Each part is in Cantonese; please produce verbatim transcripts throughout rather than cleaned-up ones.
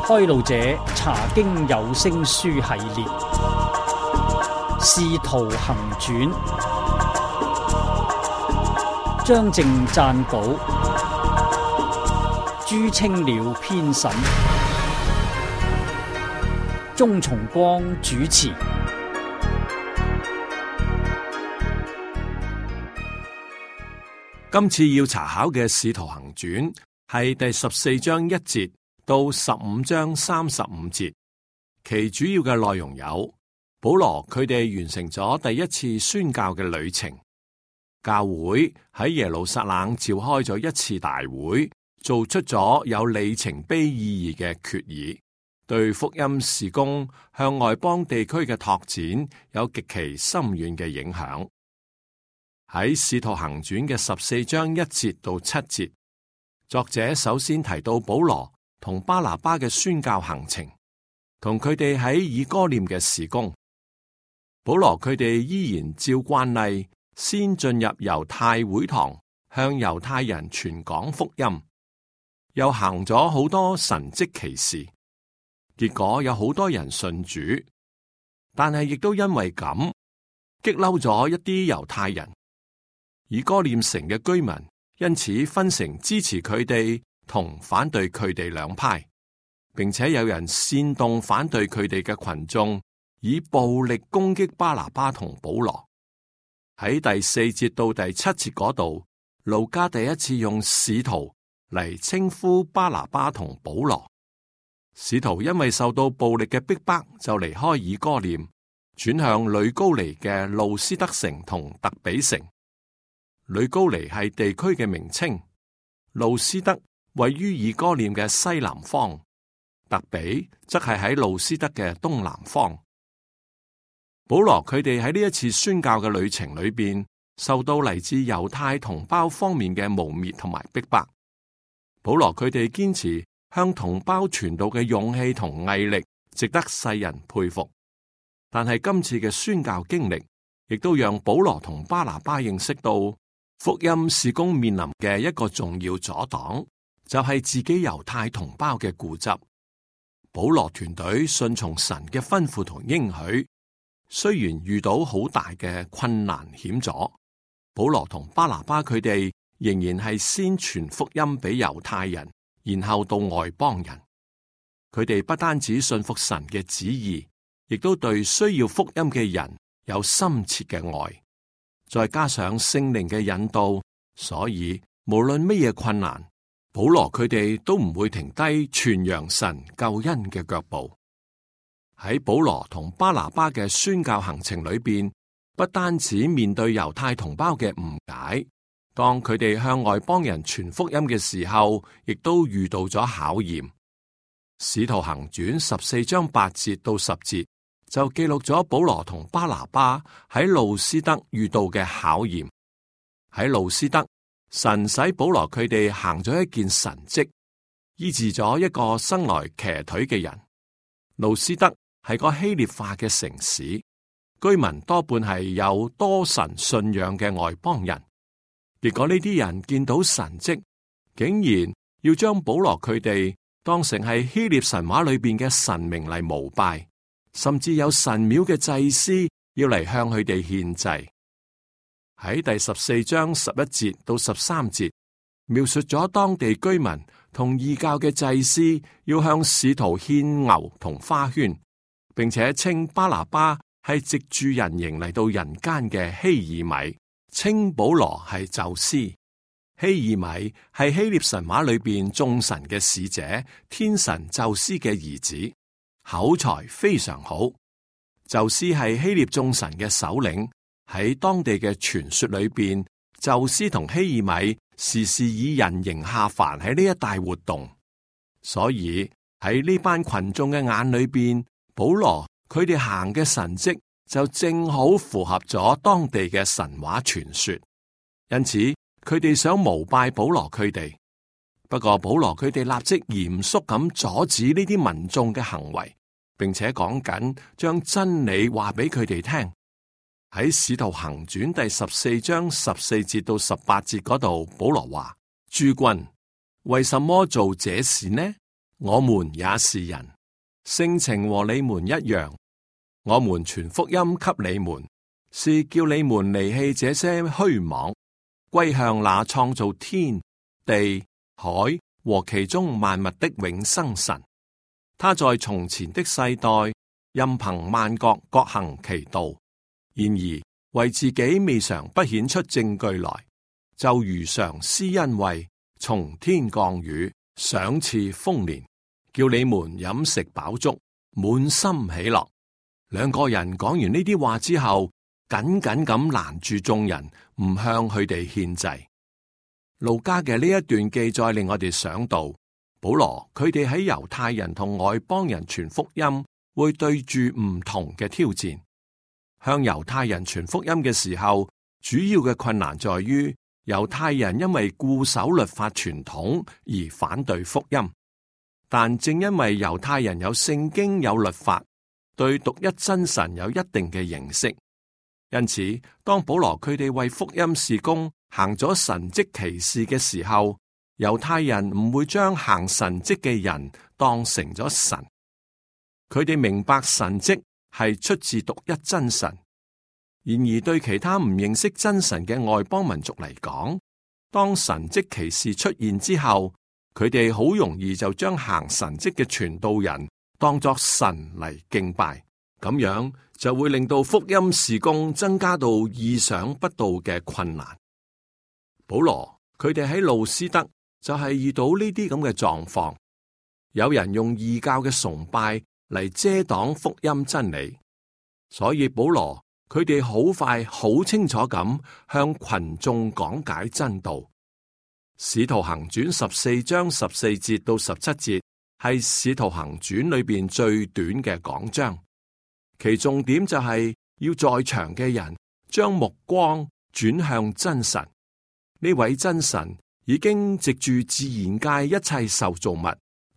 開路者查經有聲書系列，使徒行傳，張正撰稿，朱清了編審，鍾崇光主持。今次要查考嘅《使徒行傳》係第十四章一節到十五章三十五節，其主要嘅內容有：保羅佢哋完成咗第一次宣教嘅旅程，教會喺耶路撒冷召開咗一次大會，做出咗有里程碑意義嘅決議，對福音事工向外邦地區嘅拓展有極其深遠嘅影響。喺《使徒行傳》嘅十四章一節到七節，作者首先提到保羅同巴拿巴嘅宣教行程，同佢哋喺以哥念嘅事工。保羅佢哋依然照慣例，先進入猶太會堂，向猶太人傳講福音，又行咗好多神蹟奇事，結果有好多人信主，但係亦都因為咁激嬲咗一啲猶太人。以哥念城嘅居民因此分成支持佢哋同反對佢哋兩派，並且有人煽動反對佢哋嘅群眾，以暴力攻擊巴拿巴同保羅。喺第四節到第七節嗰度，路加第一次用使徒嚟稱呼巴拿巴同保羅。使徒因為受到暴力嘅逼迫，就離開以哥念，轉向呂高尼嘅路斯德城同特比城。呂高尼係地區嘅名稱，路斯德位於以哥念嘅西南方，特比則係喺路斯德嘅東南方。保羅佢哋喺呢一次宣教嘅旅程裏邊，受到嚟自猶太同胞方面嘅誣衊同埋逼迫。保羅佢哋堅持向同胞傳道嘅勇氣同毅力，值得世人佩服。但係今次嘅宣教經歷，亦都讓保羅同巴拿巴認識到福音事工面臨嘅一個重要阻擋，就係自己猶太同胞嘅固執。保羅團隊順從神嘅吩咐同應許，雖然遇到好大嘅困難險阻，保羅同巴拿巴佢哋仍然係先傳福音俾猶太人，然後到外邦人。佢哋不單止信服神嘅旨意，亦都對需要福音嘅人有深切嘅愛。再加上聖靈嘅引導，所以無論乜嘢困難，保羅佢哋都唔會停低傳揚神救恩嘅腳步。喺保羅同巴拿巴嘅宣教行程裏邊，不單止面對猶太同胞嘅誤解，當佢哋向外邦人傳福音嘅時候，亦都遇到咗考驗。使徒行傳十四章八節到十節，就記錄咗保羅同巴拿巴喺路斯德遇到嘅考驗。喺路斯德，神使保羅佢哋行咗一件神蹟，醫治咗一個生來瘸腿嘅人。路斯德係個希臘化嘅城市，居民多半係有多神信仰嘅外邦人。結果呢啲人見到神蹟，竟然要將保羅佢哋當成係希臘神話裏邊嘅神明嚟膜拜。甚至有神廟嘅祭司要嚟向佢哋獻祭。喺第十四章十一節到十三節，描述咗當地居民同異教嘅祭司要向使徒獻牛同花圈，並且稱巴拿巴係藉住人形嚟到人間嘅希爾米，稱保羅係宙斯。希爾米係希臘神話裏邊眾神嘅使者，天神宙斯嘅兒子。口才非常好，宙斯係希臘眾神嘅首領。喺當地嘅傳說裏邊，宙斯同希爾米時時以人形下凡喺呢一帶活動，所以喺呢班群眾嘅眼裏邊，保羅佢哋行嘅神蹟就正好符合咗當地嘅神話傳說，因此佢哋想膜拜保羅佢哋。不過保羅佢哋立即嚴肅咁阻止呢啲民眾嘅行為，並且講緊將真理話俾佢哋聽。喺使徒行傳第十四章十四節到十八節嗰度，保羅話：諸君為什麼做這事呢？我們也是人，性情和你們一樣。我們傳福音給你們，是叫你們離棄這些虛妄，歸向那創造天地海和其中萬物的永生神。他在從前的世代，任憑萬國各行其道，然而為自己未嘗不顯出證據來，就如常施恩惠，從天降雨，賞賜豐年，叫你們飲食飽足，滿心喜樂。兩個人講完呢啲話之後，緊緊咁攔住眾人，唔向佢哋獻祭。路加嘅呢一段記載令我哋想到，保羅佢哋喺猶太人同外邦人傳福音，會對住唔同嘅挑戰。向猶太人傳福音嘅時候，主要嘅困難在於猶太人因為固守律法傳統而反對福音。但正因為猶太人有聖經有律法，對獨一真神有一定嘅認識，因此當保羅佢哋為福音事工行咗神蹟奇事嘅時候，猶太人唔會將行神蹟嘅人當成咗神。佢哋明白神蹟係出自獨一真神，然而對其他唔認識真神嘅外邦民族嚟講，當神蹟奇事出現之後，佢哋好容易就將行神蹟嘅傳道人當作神嚟敬拜，咁樣就會令到福音事工增加到意想不到嘅困難。保羅佢哋喺路斯德就係遇到呢啲咁嘅狀況，有人用異教嘅崇拜嚟遮擋福音真理，所以保羅佢哋好快好清楚咁向群眾講解真道。使徒行傳十四章十四節到十七節係使徒行傳裏邊最短嘅講章，其重點就係要在場嘅人將目光轉向真神。呢位真神已經藉住自然界一切受造物，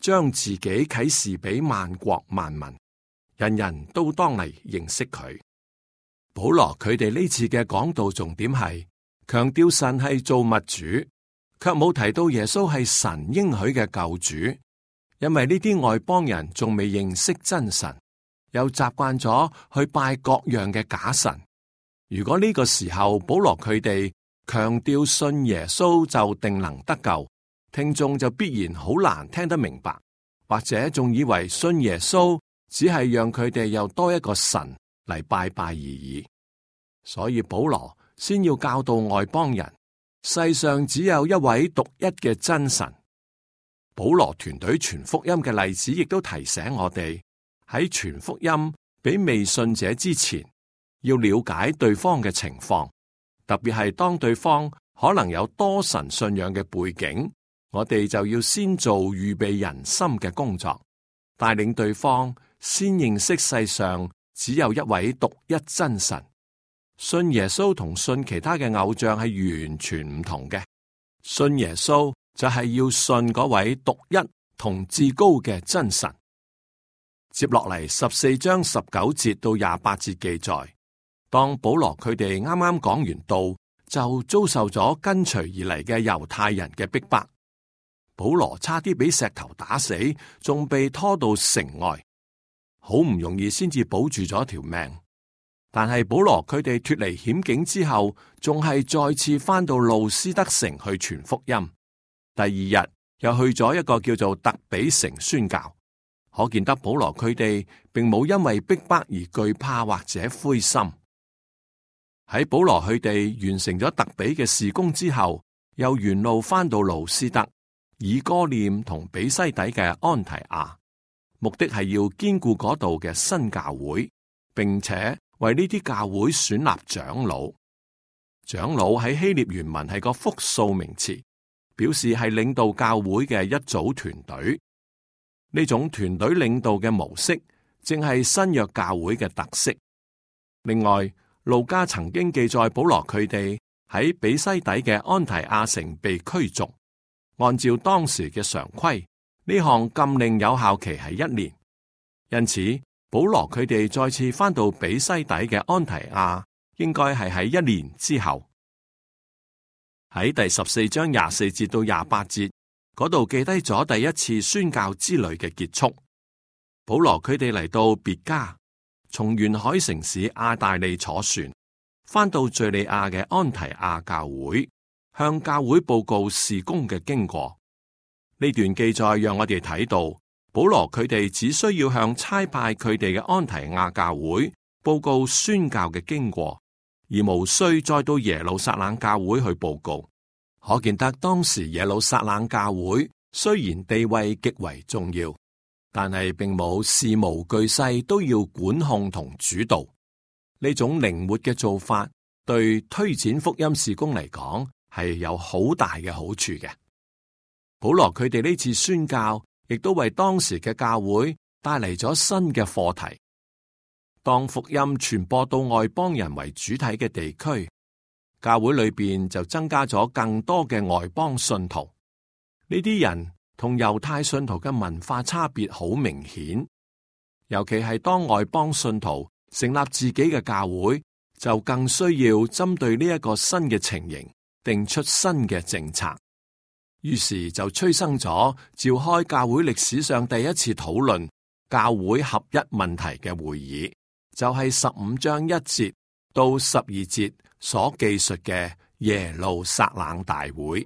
將自己啟示俾萬國萬民，人人都當嚟認識佢。保羅佢哋呢次嘅講道重點係強調神係造物主，卻冇提到耶穌係神應許嘅救主，因為呢啲外邦人仲未認識真神，又習慣咗去拜各樣嘅假神。如果呢個時候保羅佢哋強調信耶穌就定能得救，聽眾就必然好難聽得明白，或者仲以為信耶穌只係讓佢哋又多一個神嚟拜拜而已。所以保羅先要教導外邦人，世上只有一位獨一嘅真神。保羅團隊傳福音嘅例子亦都提醒我哋，喺傳福音俾未信者之前，要了解對方嘅情況。特別係當對方可能有多神信仰嘅背景，我哋就要先做預備人心嘅工作，帶領對方先認識世上只有一位獨一真神。信耶穌同信其他嘅偶像係完全唔同嘅。信耶穌就係要信嗰位獨一同至高嘅真神。接落嚟十四章十九節到廿八節記載，當保羅佢哋啱啱講完道，就遭受咗跟隨而嚟嘅猶太人嘅逼迫。保羅差啲俾石頭打死，仲被拖到城外，好唔容易先至保住咗條命。但係保羅佢哋脫離險境之後，仲係再次翻到路斯德城去傳福音。第二日又去咗一個叫做特比城宣教，可見得保羅佢哋並冇因為逼迫而懼怕或者灰心。喺保羅佢哋完成咗特比嘅事工之後，又沿路翻到路斯德、以哥念同比西底嘅安提亞，目的係要堅固嗰度嘅新教會，並且為呢啲教會選立長老。長老喺希臘原文係個複數名詞，表示係領導教會嘅一組團隊。呢種團隊領導嘅模式，正係新約教會嘅特色。另外，路加曾經記載保羅佢哋喺比西底嘅安提亞城被驅逐，按照當時嘅常規，呢項禁令有效期係一年。因此，保羅佢哋再次翻到比西底嘅安提亞，應該係喺一年之後。喺第十四章廿四節到廿八節嗰度記低咗第一次宣教之旅嘅結束。保羅佢哋嚟到別加，從沿海城市亞大利坐船，返到敘利亞嘅安提亞教會，向教會報告事工嘅經過。呢段記載讓我哋睇到，保羅佢哋只需要向差派佢哋嘅安提亞教會報告宣教嘅經過，而無需再到耶路撒冷教會去報告。可見得當時耶路撒冷教會雖然地位極為重要，但係並冇事無巨細都要管控同主導。呢種靈活嘅做法，對推展福音事工嚟講係有好大嘅好處嘅。保羅佢哋呢次宣教，亦都為當時嘅教會帶嚟咗新嘅課題。當福音傳播到外邦人為主體嘅地區，教會裏邊就增加咗更多嘅外邦信徒。呢啲人同猶太信徒嘅文化差別好明顯，尤其係當外邦信徒成立自己嘅教會，就更需要針對呢一個新嘅情形，定出新嘅政策。於是就催生咗召開教會歷史上第一次討論教會合一問題嘅會議，就係十五章一節到十二節所記述嘅耶路撒冷大會。